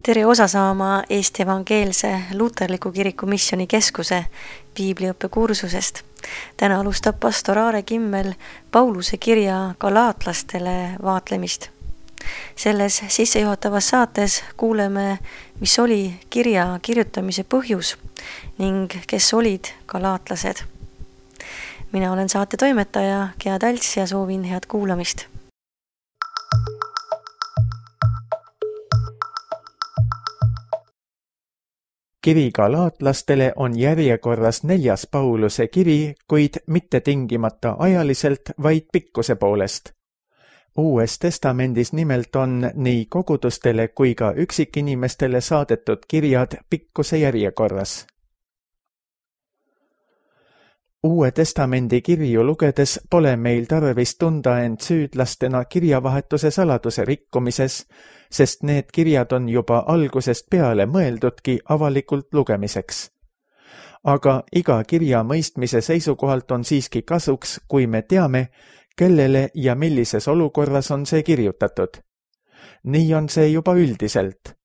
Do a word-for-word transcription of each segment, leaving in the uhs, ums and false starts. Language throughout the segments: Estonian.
Tere osa saama Eesti Evangeelse Luterliku Kiriku Missioni Keskuse piibliõppe kursusest. Täna alustab pastor Aare Kimmel Pauluse kirja galaatlastele vaatlemist. Selles sissejuhatavas saates kuuleme, mis oli kirja kirjutamise põhjus ning kes olid galaatlased. Mina olen saate toimetaja Gea Talts ja soovin head kuulamist. Kiri galaatlastele on järjekorras neljas Pauluse kiri, kuid mitte tingimata ajaliselt, vaid pikkuse poolest. Uues testamendis nimelt on nii kogudustele kui ka üksikinimestele saadetud kirjad pikkuse järjekorras. Uue testamendi kirju lugedes pole meil tarvis tunda end süüdlastena kirjavahetuse saladuse rikkumises, sest need kirjad on juba algusest peale mõeldudki avalikult lugemiseks. Aga iga kirja mõistmise seisukohalt on siiski kasuks, kui me teame, kellele ja millises olukorras on see kirjutatud. Nii on see juba üldiselt.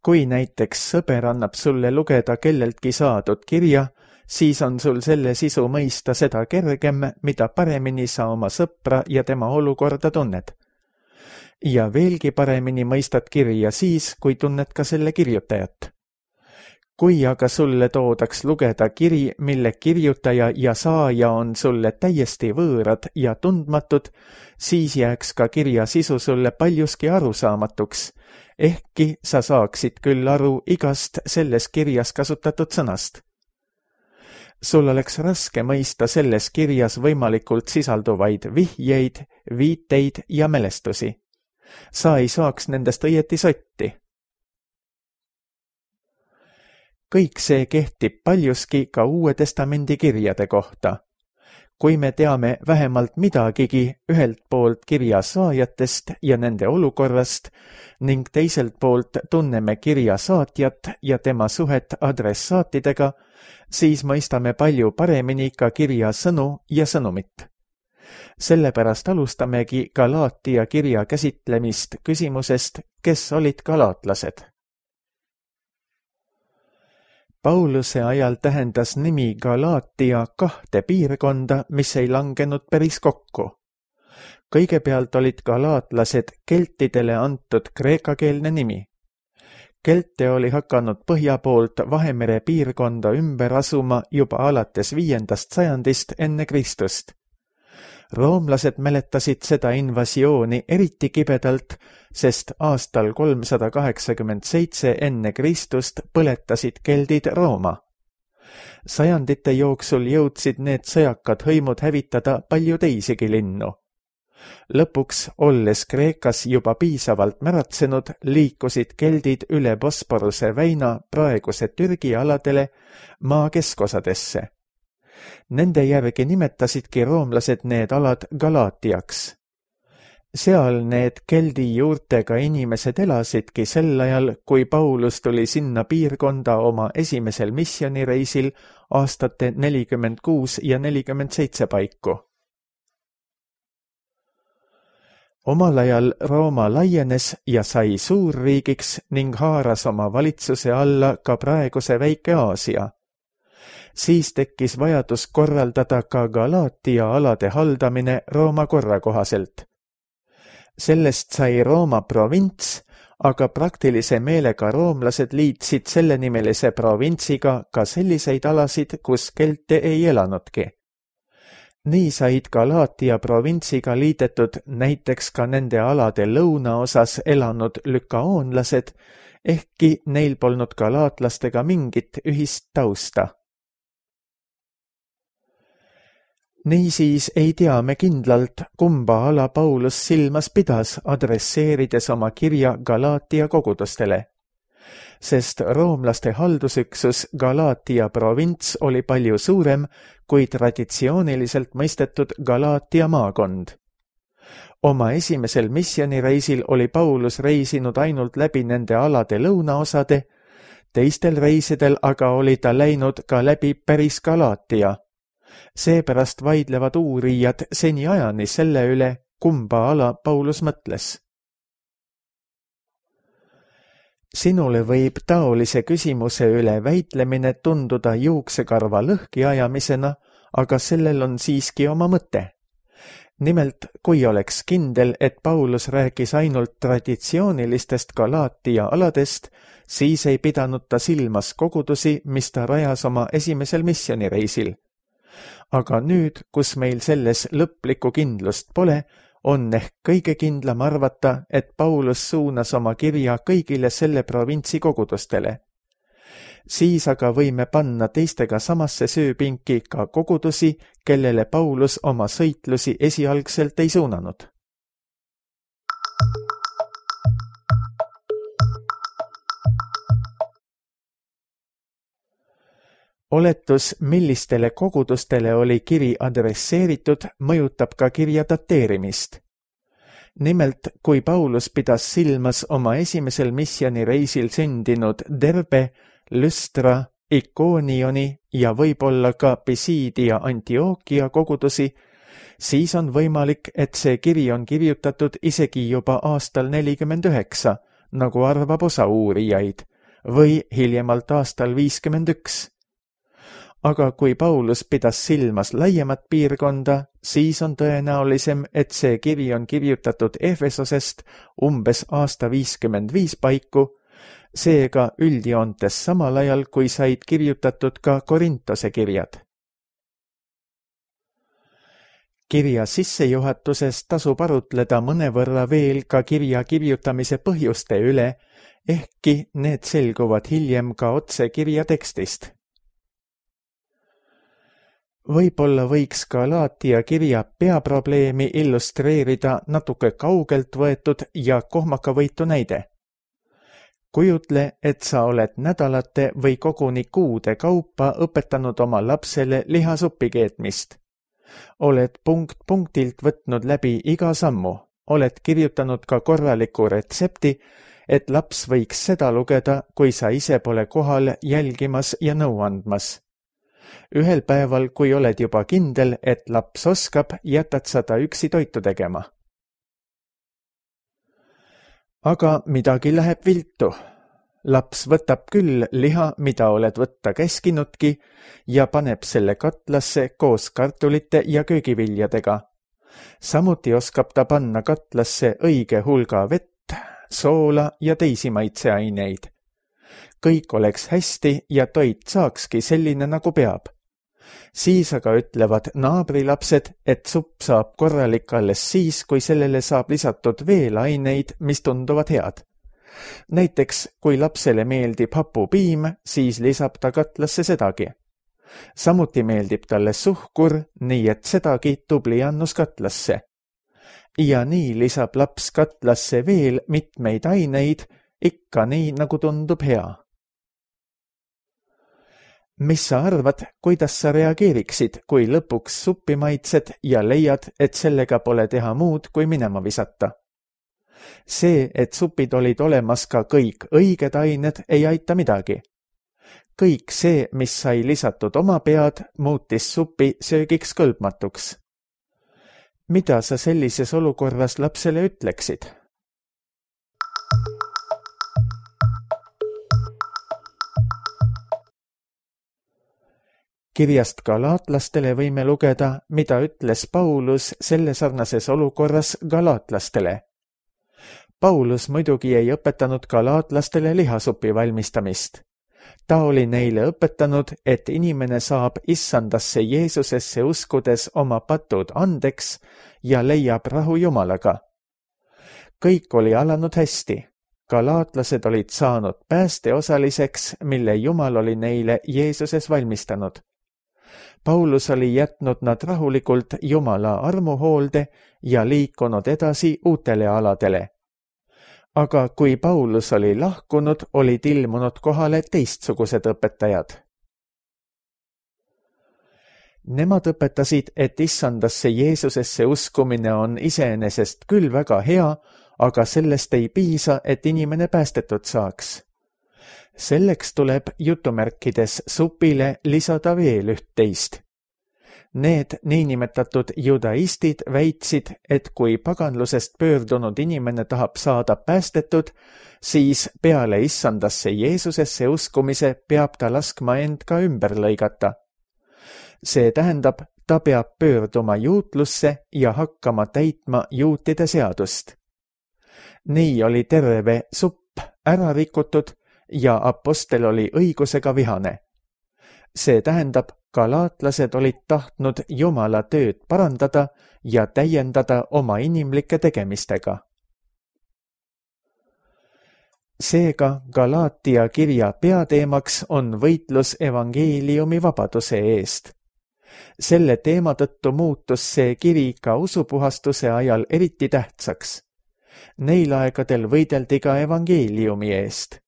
Kui näiteks sõber annab sulle lugeda kelleltki saadud kirja, siis on sul selle sisu mõista seda kergem, mida paremini sa oma sõpra ja tema olukorda tunned. Ja veelgi paremini mõistad kirja siis, kui tunned ka selle kirjutajat. Kui aga sulle toodaks lugeda kiri, mille kirjutaja ja saaja on sulle täiesti võõrad ja tundmatud, siis jääks ka kirja sisu sulle paljuski arusaamatuks, ehkki sa saaksid küll aru igast selles kirjas kasutatud sõnast. Sul oleks raske mõista selles kirjas võimalikult sisalduvaid vihjeid, viiteid ja mälestusi. Sa ei saaks nendest õieti sotti. Kõik see kehtib paljuski ka Uue testamendi kirjade kohta. Kui me teame vähemalt midagigi ühelt poolt kirja saajatest ja nende olukorrast ning teiselt poolt tunneme kirja saatjat ja tema suhet adressaatidega, siis mõistame palju paremini ka kirja sõnu ja sõnumit. Sellepärast alustamegi Galaatia kirja käsitlemist küsimusest, kes olid galaatlased. Pauluse ajal tähendas nimi Galaatia kahte piirkonda, mis ei langenud päris kokku. Kõigepealt olid galaatlased keltidele antud kreekakeelne nimi. Kelte oli hakanud põhja poolt Vahemere piirkonda ümber asuma juba alates viiendast sajandist enne Kristust. Roomlased mäletasid seda invasiooni eriti kibedalt, sest aastal kolmsada kaheksakümmend seitse enne Kristust põletasid keldid Rooma. Sajandite jooksul jõudsid need sõjakad hõimud hävitada palju teisigi linnu. Lõpuks, olles Kreekas juba piisavalt märatsenud, liikusid keldid üle Bosporuse väina praeguse Türgi aladele maa keskosadesse. Nende järgi nimetasidki roomlased need alad Galaatiaks. Seal need keldi juurtega inimesed elasidki sel ajal, kui Paulus tuli sinna piirkonda oma esimesel missionireisil aastate nelikümmend kuus ja nelikümmend seitse paiku. Omal ajal Rooma laienes ja sai suurriigiks ning haaras oma valitsuse alla ka praeguse väike Aasia. Siis tekkis vajadus korraldada ka Galaatia alade haldamine Rooma korra kohaselt. Sellest sai Rooma provints, aga praktilise meelega roomlased liitsid sellenimelise provintsiga ka selliseid alasid, kus kelte ei elanudki. Nii said Galaatia provintsiga liidetud näiteks ka nende alade lõunaosas elanud lükaoonlased, ehkki neil polnud galaatlastega mingit ühist tausta. Niisiis ei tea me kindlalt, kumba ala Paulus silmas pidas, adresseerides oma kirja Galaatia kogudustele. Sest roomlaste haldusüksus Galaatia provints oli palju suurem kui traditsiooniliselt mõistetud Galaatia maakond. Oma esimesel missionireisil oli Paulus reisinud ainult läbi nende alade lõunaosade, teistel reisidel aga oli ta läinud ka läbi päris Galaatia. Seepärast vaidlevad uurijad seniajani selle üle, kumba ala Paulus mõtles. Sinule võib taolise küsimuse üle väitlemine tunduda juuksekarva lõhki ajamisena, aga sellel on siiski oma mõte. Nimelt, kui oleks kindel, et Paulus rääkis ainult traditsioonilistest Galaatia aladest, siis ei pidanud ta silmas kogudusi, mis ta rajas oma esimesel missioonireisil. Aga nüüd, kus meil selles lõplikku kindlust pole, on ehk kõige kindlam arvata, et Paulus suunas oma kirja kõigile selle provintsi kogudustele. Siis aga võime panna teistega samasse sööpinki ka kogudusi, kellele Paulus oma sõitlusi esialgselt ei suunanud. Oletus, millistele kogudustele oli kiri adresseeritud, mõjutab ka kirja dateerimist. Nimelt, kui Paulus pidas silmas oma esimesel missioonireisil sündinud Derbe, Lystra, Ikoonioni ja võib-olla ka Pisiidi ja Antiokia kogudusi, siis on võimalik, et see kiri on kirjutatud isegi juba aastal nelikümmend üheksa, nagu arvab osa uurijaid, või hiljemalt aastal viiskümmend üks. Aga kui Paulus pidas silmas laiemat piirkonda, siis on tõenäolisem, et see kiri on kirjutatud Efesosest umbes aasta viiskümmend viis paiku, seega üldjoontes samal ajal, kui said kirjutatud ka Korintose kirjad. Kirja sissejuhatuses tasub arutleda mõnevõrra veel ka kirja kirjutamise põhjuste üle, ehkki need selguvad hiljem ka otse kirja tekstist. Võib-olla võiks Galaatia kirja peaprobleemi illustreerida natuke kaugelt võetud ja kohmakavõitu näide. Kujutle, et sa oled nädalate või koguni kuude kaupa õpetanud oma lapsele lihasuppi keetmist. Oled punkt punktilt võtnud läbi iga sammu, oled kirjutanud ka korraliku retsepti, et laps võiks seda lugeda, kui sa ise pole kohal jälgimas ja nõu andmas. Ühel päeval, kui oled juba kindel, et laps oskab, jätad sa ta üksi toitu tegema. Aga midagi läheb viltu. Laps võtab küll liha, mida oled võtta käskinudki, ja paneb selle katlasse koos kartulite ja köögiviljadega. Samuti oskab ta panna katlasse õige hulga vett, soola ja teisi maitseaineid. Kõik oleks hästi ja toit saakski selline, nagu peab. Siis aga ütlevad naabrilapsed, et supp saab korralik alles siis, kui sellele saab lisatud veel aineid, mis tunduvad head. Näiteks, kui lapsele meeldib hapupiim, siis lisab ta katlasse sedagi. Samuti meeldib talle suhkur, nii et sedagi tubli annus katlasse. Ja nii lisab laps katlasse veel mitmeid aineid, ikka nii, nagu tundub hea. Mis sa arvad, kuidas sa reageeriksid, kui lõpuks suppi maitsed ja leiad, et sellega pole teha muud, kui minema visata? See, et supid olid olemas ka kõik õiged ained, ei aita midagi. Kõik see, mis sai lisatud oma pead, muutis supi söögiks kõlbmatuks. Mida sa sellises olukorras lapsele ütleksid? Kirjast galaatlastele võime lugeda, mida ütles Paulus selle sarnases olukorras galaatlastele. Paulus muidugi ei õpetanud galaatlastele lihasupi valmistamist. Ta oli neile õpetanud, et inimene saab issandasse Jeesusesse uskudes oma patud andeks ja leiab rahu Jumalaga. Kõik oli alanud hästi. Galaatlased olid saanud päästeosaliseks, mille Jumal oli neile Jeesuses valmistanud. Paulus oli jätnud nad rahulikult Jumala armuhoolde ja liikunud edasi uutele aladele. Aga kui Paulus oli lahkunud, olid ilmunud kohale teistsugused õpetajad. Nemad õpetasid, et issandasse Jeesusesse uskumine on iseenesest küll väga hea, aga sellest ei piisa, et inimene päästetud saaks. Selleks tuleb jutumärkides supile lisada veel üht teist. Need niinimetatud judaistid väitsid, et kui paganlusest pöördunud inimene tahab saada päästetud, siis peale issandasse Jeesusesse uskumise peab ta laskma end ka ümber lõigata. See tähendab, ta peab pöörduma juutlusse ja hakkama täitma juutide seadust. Nii oli terve supp ära rikutud ja apostel oli õigusega vihane. See tähendab, galaatlased olid tahtnud Jumala tööd parandada ja täiendada oma inimlike tegemistega. Seega Galaatia kirja peateemaks on võitlus evangeeliumi vabaduse eest. Selle teema tõttu muutus see kiri ka usupuhastuse ajal eriti tähtsaks. Neil aegadel võideldi ka evangeeliumi eest.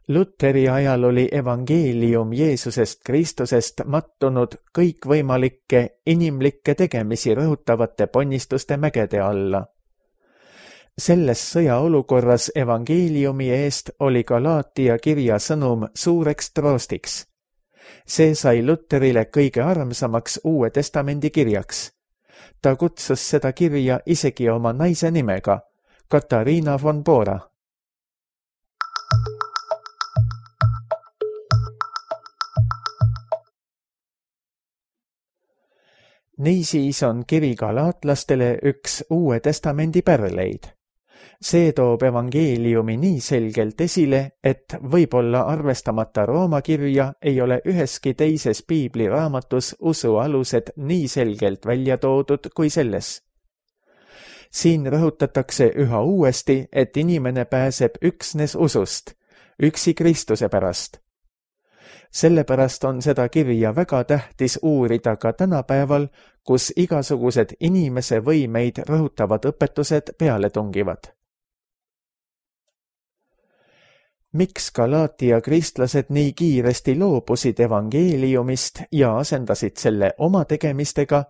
Luteri ajal oli evangeelium Jeesusest Kristusest mattunud kõikvõimalikke inimlikke tegemisi rõhutavate ponnistuste mägede alla. Selles sõjaolukorras evangeeliumi eest oli Galaatia kirja sõnum suureks troostiks. See sai Luterile kõige armsamaks Uue Testamendi kirjaks. Ta kutsus seda kirja isegi oma naise nimega, Katariina von Bora. Niisiis on kiri galaatlastele üks Uue Testamendi pärleid. See toob evangeeliumi nii selgelt esile, et võib-olla arvestamata Rooma kirja ei ole üheski teises piibliraamatus usu alused nii selgelt välja toodud kui selles. Siin rõhutatakse üha uuesti, et inimene pääseb üksnes usust, üksi Kristuse pärast. Sellepärast on seda kirja väga tähtis uurida ka tänapäeval, kus igasugused inimese võimeid rõhutavad õpetused peale tungivad. Miks Galaatia kristlased nii kiiresti loobusid evangeeliumist ja asendasid selle oma tegemistega,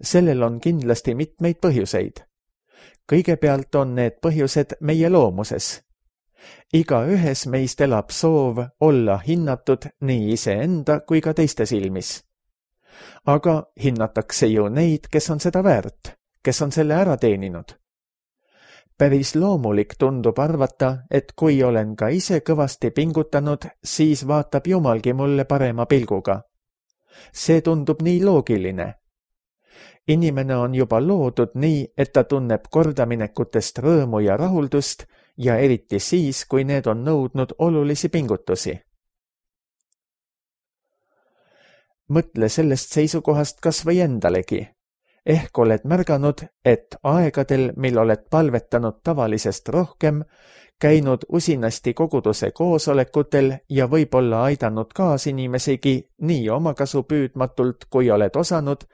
sellel on kindlasti mitmeid põhjuseid. Kõigepealt on need põhjused meie loomuses. Iga ühes meist elab soov olla hinnatud nii iseenda kui ka teiste silmis. Aga hinnatakse ju neid, kes on seda väärt, kes on selle ära teeninud. Päris loomulik tundub arvata, et kui olen ka ise kõvasti pingutanud, siis vaatab Jumalgi mulle parema pilguga. See tundub nii loogiline. Inimene on juba loodud nii, et ta tunneb kordaminekutest rõõmu ja rahuldust ja eriti siis, kui need on nõudnud olulisi pingutusi. Mõtle sellest seisukohast kas või endalegi. Ehk oled märganud, et aegadel, mil oled palvetanud tavalisest rohkem, käinud usinasti koguduse koosolekutel ja võib-olla aidanud kaasinimesigi nii omakasu püüdmatult, kui oled osanud,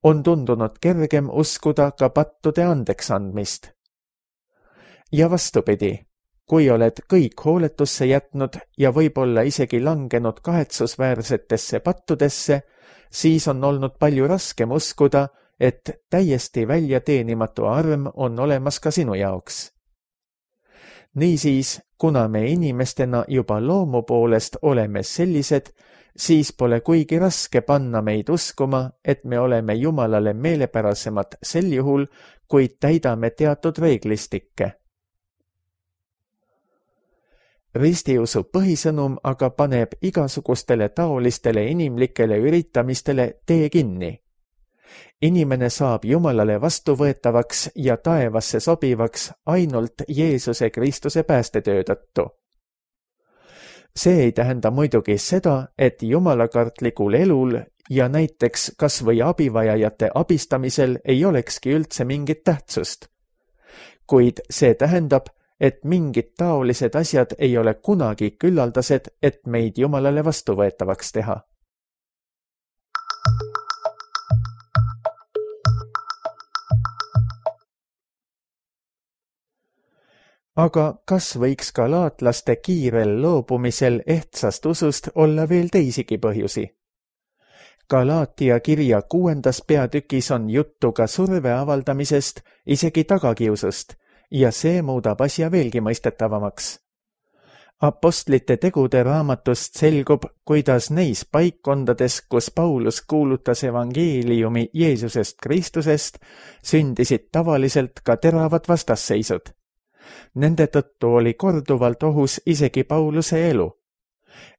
on tundunud kergem uskuda ka pattude andeks andmist. Ja vastupidi, kui oled kõik hooletusse jätnud ja võib-olla isegi langenud kahetsusväärsetesse pattudesse, siis on olnud palju raskem uskuda, et täiesti väljateenimatu arm on olemas ka sinu jaoks. Niisiis, kuna me inimestena juba loomu poolest oleme sellised, siis pole kuigi raske panna meid uskuma, et me oleme Jumalale meelepärasemad sel juhul, kui täidame teatud reeglistikke. Ristiusu põhisõnum aga paneb igasugustele taolistele inimlikele üritamistele tee kinni. Inimene saab Jumalale vastuvõetavaks ja taevasse sobivaks ainult Jeesuse Kristuse päästetöö tõttu. See ei tähenda muidugi seda, et jumalakartlikul elul ja näiteks kas või abivajajate abistamisel ei olekski üldse mingit tähtsust. Kuid see tähendab, et mingid taolised asjad ei ole kunagi küllaldased, et meid Jumalale vastuvõetavaks teha. Aga kas võiks galaatlaste kiirel loobumisel ehtsast usust olla veel teisigi põhjusi? Galaatia kirja kuuendas peatükis on juttu ka surve avaldamisest, isegi tagakiusust, ja see muudab asja veelgi mõistetavamaks. Apostlite tegude raamatust selgub, kuidas neis paikkondades, kus Paulus kuulutas evangeeliumi Jeesusest Kristusest, sündisid tavaliselt ka teravad vastasseisud. Nende tõttu oli korduvalt ohus isegi Pauluse elu.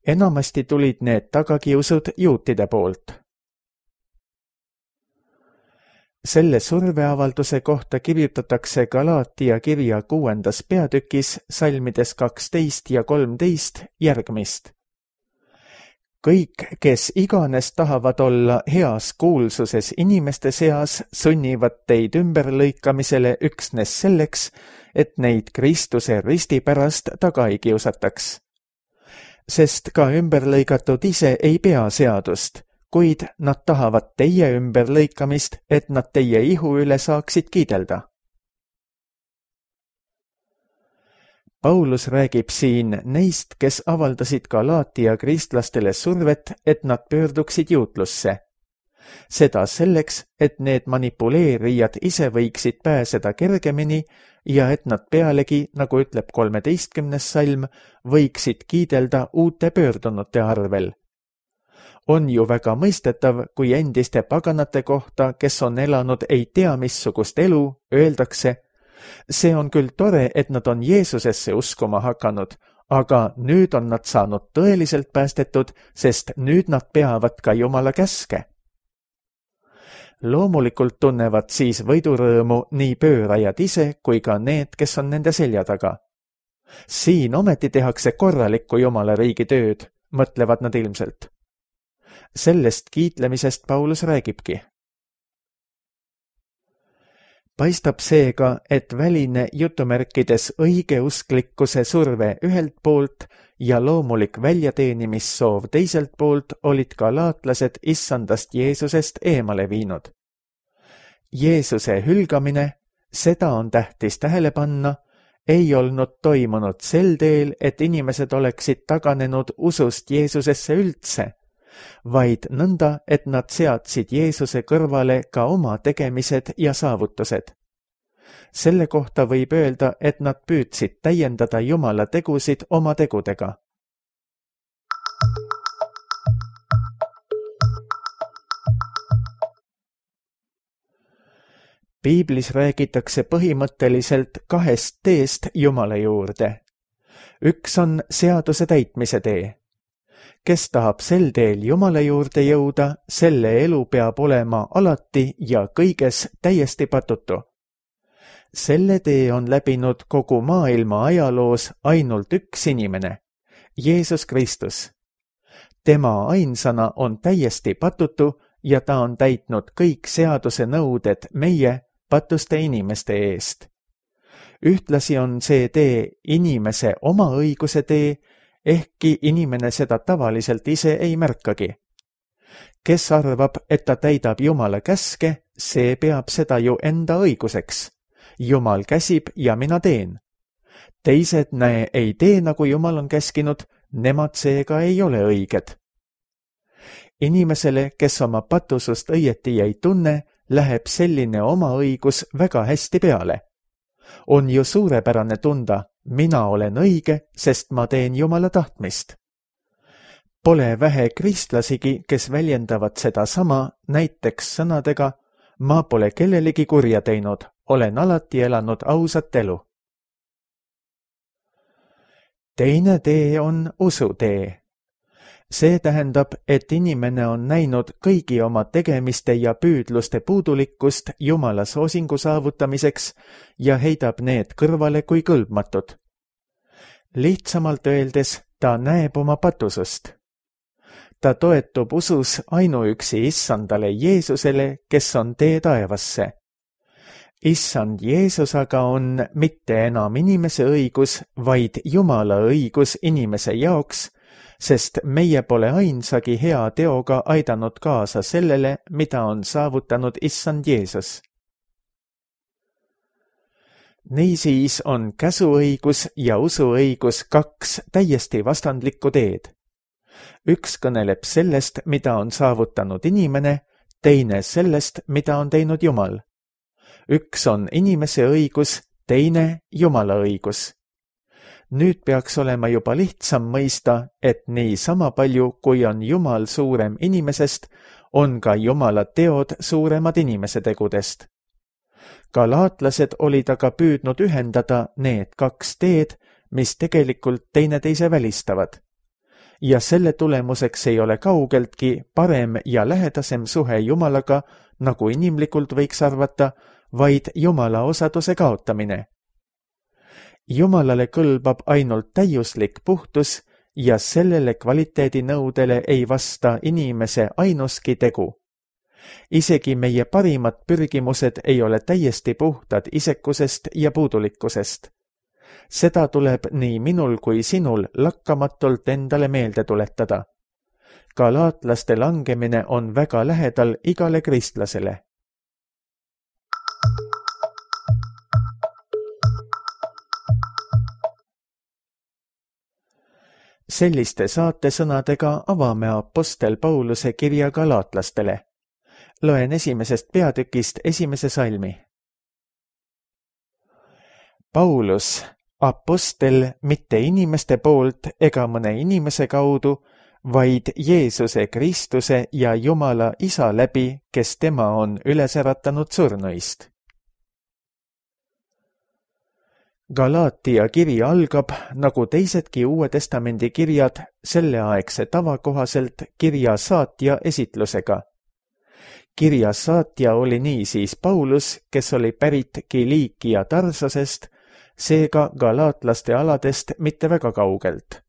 Enamasti tulid need tagakiusud juutide poolt. Selle surveavalduse kohta kirjutatakse Galaatia kirja kuuendas peatükis salmides kaksteist ja kolmteist järgmist. Kõik, kes iganes tahavad olla heas kuulsuses inimeste seas, sunnivad teid ümberlõikamisele üksnes selleks, et neid Kristuse risti pärast taga ei kiusataks. Sest ka ümberlõigatud ise ei pea seadust, kuid nad tahavad teie ümberlõikamist, et nad teie ihu üle saaksid kiidelda. Paulus räägib siin neist, kes avaldasid Galaatia kristlastele survet, et nad pöörduksid juutlusse. Seda selleks, et need manipuleerijad ise võiksid pääseda kergemini ja et nad pealegi, nagu ütleb kolmeteistkümnes salm, võiksid kiidelda uute pöördunute arvel. On ju väga mõistetav, kui endiste paganate kohta, kes on elanud ei tea missugust elu, öeldakse, see on küll tore, et nad on Jeesusesse uskuma hakanud, aga nüüd on nad saanud tõeliselt päästetud, sest nüüd nad peavad ka Jumala käske. Loomulikult tunnevad siis võidurõõmu nii pöörajad ise kui ka need, kes on nende selja taga. Siin ometi tehakse korralikku Jumala riigi tööd, mõtlevad nad ilmselt. Sellest kiitlemisest Paulus räägibki. Paistab seega, et väline jutumärkides õigeusklikkuse surve ühelt poolt ja loomulik väljateenimissoov teiselt poolt olid galaatlased issandast Jeesusest eemale viinud. Jeesuse hülgamine, seda on tähtis tähele panna, ei olnud toimunud sel teel, et inimesed oleksid taganenud usust Jeesusesse üldse, vaid nõnda, et nad seadsid Jeesuse kõrvale ka oma tegemised ja saavutused. Selle kohta võib öelda, et nad püüdsid täiendada Jumala tegusid oma tegudega. Piiblis räägitakse põhimõtteliselt kahest teest Jumala juurde. Üks on seaduse täitmise tee. Kes tahab sel teel Jumala juurde jõuda, selle elu peab olema alati ja kõiges täiesti patutu. Selle tee on läbinud kogu maailma ajaloos ainult üks inimene, Jeesus Kristus. Tema ainsana on täiesti patutu ja ta on täitnud kõik seaduse nõuded meie patuste inimeste eest. Ühtlasi on see tee inimese oma õiguse tee, ehkki inimene seda tavaliselt ise ei märkagi. Kes arvab, et ta täidab Jumala käske, see peab seda ju enda õiguseks. Jumal käsib ja mina teen. Teised näe ei tee, nagu Jumal on käskinud, nemad seega ei ole õiged. Inimesele, kes oma patusust õieti ei tunne, läheb selline oma õigus väga hästi peale. On ju suurepärane tunda, mina olen õige, sest ma teen Jumala tahtmist. Pole vähe kristlasigi, kes väljendavad seda sama, näiteks sõnadega, ma pole kellelegi kurja teinud, olen alati elanud ausat elu. Teine tee on usutee. See tähendab, et inimene on näinud kõigi oma tegemiste ja püüdluste puudulikkust Jumala soosingu saavutamiseks ja heidab need kõrvale kui kõlbmatud. Lihtsamalt öeldes, ta näeb oma patusust. Ta toetub usus ainuüksi issandale Jeesusele, kes on tee taevasse. Issand Jeesus aga on mitte enam inimese õigus, vaid Jumala õigus inimese jaoks, sest meie pole ainsagi hea teoga aidanud kaasa sellele, mida on saavutanud issand Jeesus. Niisiis on käsuõigus ja usuõigus kaks täiesti vastandlikku teed. Üks kõneleb sellest, mida on saavutanud inimene, teine sellest, mida on teinud Jumal. Üks on inimese õigus, teine Jumala õigus. Nüüd peaks olema juba lihtsam mõista, et nii sama palju, kui on Jumal suurem inimesest, on ka Jumala teod suuremad inimese tegudest. Galaatlased olid aga püüdnud ühendada need kaks teed, mis tegelikult teineteise välistavad. Ja selle tulemuseks ei ole kaugeltki parem ja lähedasem suhe Jumalaga, nagu inimlikult võiks arvata, vaid Jumala osaduse kaotamine. Jumalale kõlbab ainult täiuslik puhtus ja sellele kvaliteedinõudele ei vasta inimese ainuski tegu. Isegi meie parimad pürgimused ei ole täiesti puhtad isekusest ja puudulikkusest. Seda tuleb nii minul kui sinul lakkamatult endale meelde tuletada. Galaatlaste langemine on väga lähedal igale kristlasele. Selliste saatesõnadega avame apostel Pauluse kirja galaatlastele. Loen esimesest peatükist esimese salmi. Paulus, apostel mitte inimeste poolt ega mõne inimese kaudu, vaid Jeesuse Kristuse ja Jumala Isa läbi, kes tema on üles äratanud surnuist. Galaatia kiri algab, nagu teisedki Uue Testamendi kirjad, selleaegse tava kohaselt kirja saatja esitlusega. Kirja saatja oli niisiis Paulus, kes oli pärit Kiliikia Tarsosest, seega galaatlaste aladest mitte väga kaugelt.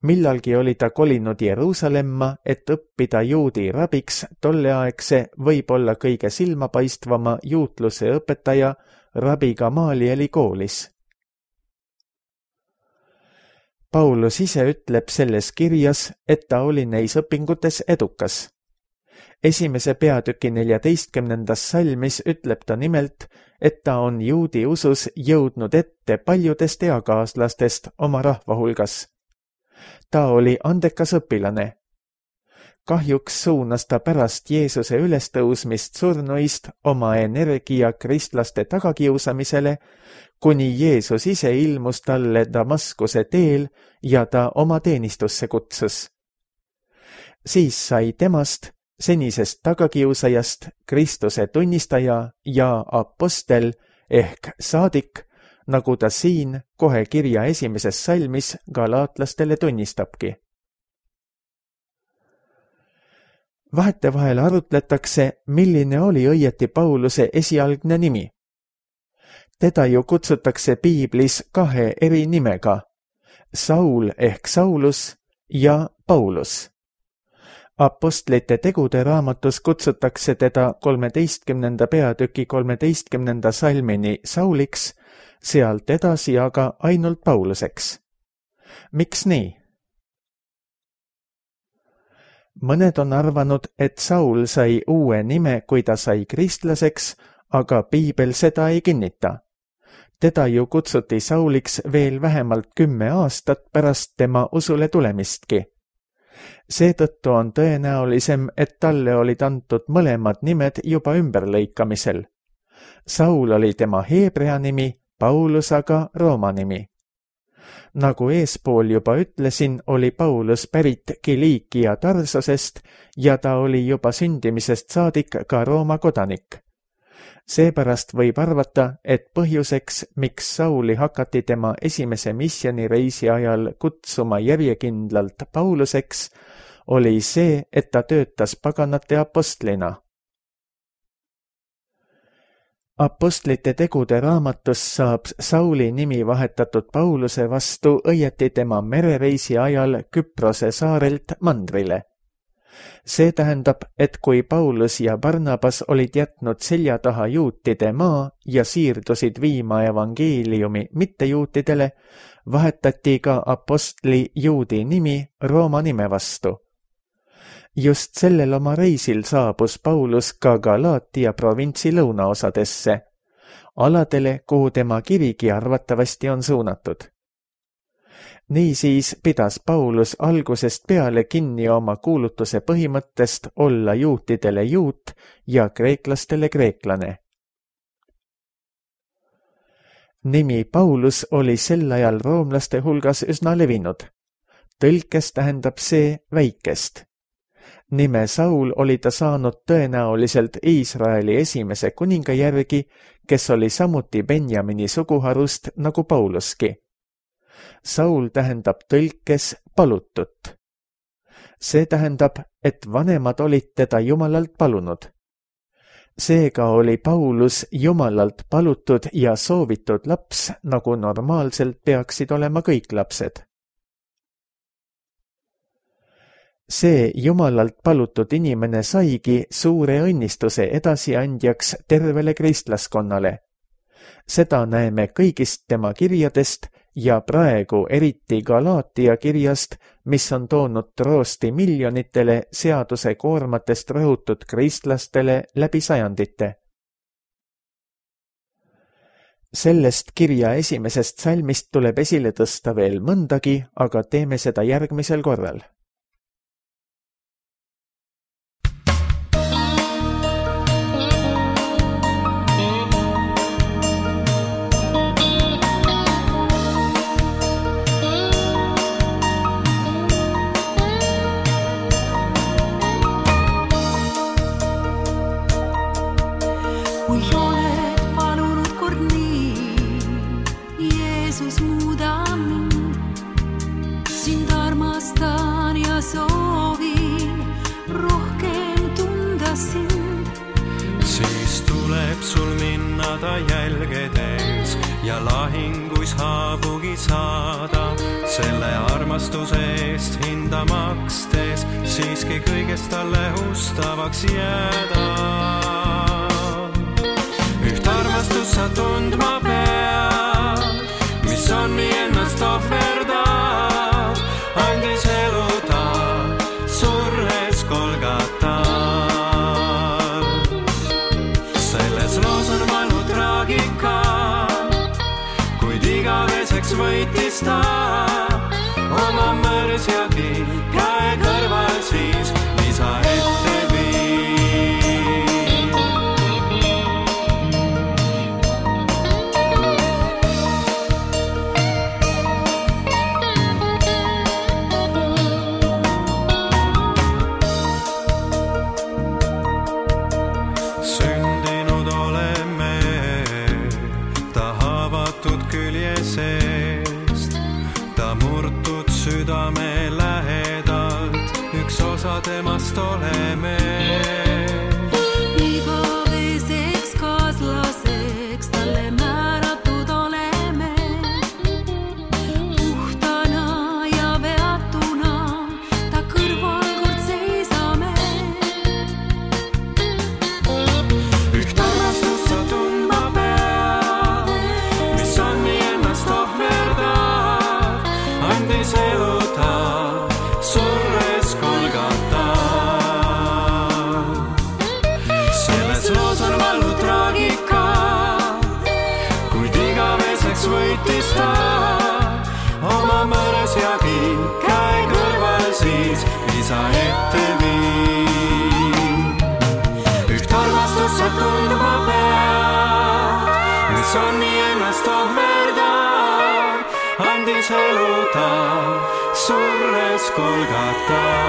Millalgi oli ta kolinud Jeruusalemma, et õppida juudi rabiks tolleaegse võib-olla kõige silmapaistvama juutluse õpetaja rabi Gamalieli koolis. Paulus ise ütleb selles kirjas, et ta oli neis õpingutes edukas. Esimese peatüki neljateistkümnendas salmis ütleb ta nimelt, et ta on juudi usus jõudnud ette paljudest eakaaslastest oma rahva hulgas. Ta oli andekas õpilane. Kahjuks suunas ta pärast Jeesuse ülestõusmist surnuist oma energia kristlaste tagakiusamisele, kuni Jeesus ise ilmus talle Damaskuse teel ja ta oma teenistusse kutsus. Siis sai temast, senisest tagakiusajast, Kristuse tunnistaja ja apostel ehk saadik, nagu ta siin kohe kirja esimeses salmis galaatlastele tunnistabki. Vahetevahel arutletakse, milline oli õieti Pauluse esialgne nimi. Teda ju kutsutakse piiblis kahe eri nimega, Saul ehk Saulus ja Paulus. Apostlite tegude raamatus kutsutakse teda kolmeteistkümnenda peatüki kolmeteistkümnenda salmini Sauliks, sealt edasi aga ainult Pauluseks. Miks nii? Mõned on arvanud, et Saul sai uue nime, kui ta sai kristlaseks, aga piibel seda ei kinnita. Teda ju kutsuti Sauliks veel vähemalt kümme aastat pärast tema usule tulemistki. Seetõttu on tõenäolisem, et talle olid antud mõlemad nimed juba ümberlõikamisel. Saul oli tema heebrea nimi, Paulus aga rooma nimi. Nagu eespool juba ütlesin, oli Paulus pärit Kiliikia Tarsosest ja ta oli juba sündimisest saadik ka Rooma kodanik. Seepärast võib arvata, et põhjuseks, miks Sauli hakati tema esimese missioonireisi ajal kutsuma järjekindlalt Pauluseks, oli see, et ta töötas paganate apostlina. Apostlite tegude raamatus saab Sauli nimi vahetatud Pauluse vastu õieti tema merereisi ajal Küprose saarelt mandrile. See tähendab, et kui Paulus ja Barnabas olid jätnud selja taha juutide maa ja siirdusid viima evangeeliumi mittejuutidele, vahetati ka apostli juudi nimi Rooma nime vastu. Just sellel oma reisil saabus Paulus ka Galaatia provintsi lõunaosadesse, aladele, kuhu tema kirigi arvatavasti on suunatud. Niisiis pidas Paulus algusest peale kinni oma kuulutuse põhimõttest olla juutidele juut ja kreeklastele kreeklane. Nimi Paulus oli sel ajal roomlaste hulgas üsna levinud. Tõlkes tähendab see väikest. Nime Saul oli ta saanud tõenäoliselt Iisraeli esimese kuninga järgi, kes oli samuti Benjamini suguharust nagu Pauluski. Saul tähendab tõlkes palutut. See tähendab, et vanemad olid teda Jumalalt palunud. Seega oli Paulus Jumalalt palutud ja soovitud laps, nagu normaalselt peaksid olema kõik lapsed. See Jumalalt palutud inimene saigi suure õnnistuse edasiandjaks tervele kristlaskonnale. Seda näeme kõigist tema kirjadest ja praegu eriti Galaatia kirjast, mis on toonud troosti miljonitele seaduse koormatest rõhutud kristlastele läbi sajandite. Sellest kirja esimesest salmist tuleb esile tõsta veel mõndagi, aga teeme seda järgmisel korral. Kui oled palunud kord nii, Jeesus muuda mind, sind armastan ja soovin rohkem tunda sind. Siis tuleb sul minna ta jälgedes ja lahinguis haavugi saada, selle armastuse eest hinda makstes, siiski kõigest talle ustavaks jääda. Üht armastus sa tundma pead, mis on nii ennast ohverdab, andis elu ta surres Golgatal. Selles loos on valu traagika, kuid igaveseks võitis ta oma mõrsjagi käe kõrval siis lisa ette viib. Sündinud oleme ta haavatud külje seest, ta murtud südame lähedalt, üks osa temast oleme. Igaveseks kaaslaseks talle määratud oleme, puhtana ja veatuna ta kõrval kord seisame. Üht armastust sa tundma pead, mis on nii ennast ohverdab, andis elu ta surres Golgatal. Selles loos on valu traagika, kuid igaveseks võitis ta oma mõrsjagi käe kõrval siis lisa ette viib. Üht armastust sa tundma pead, mis on nii ennast ohverdab, andis elu ta surres Golgatal.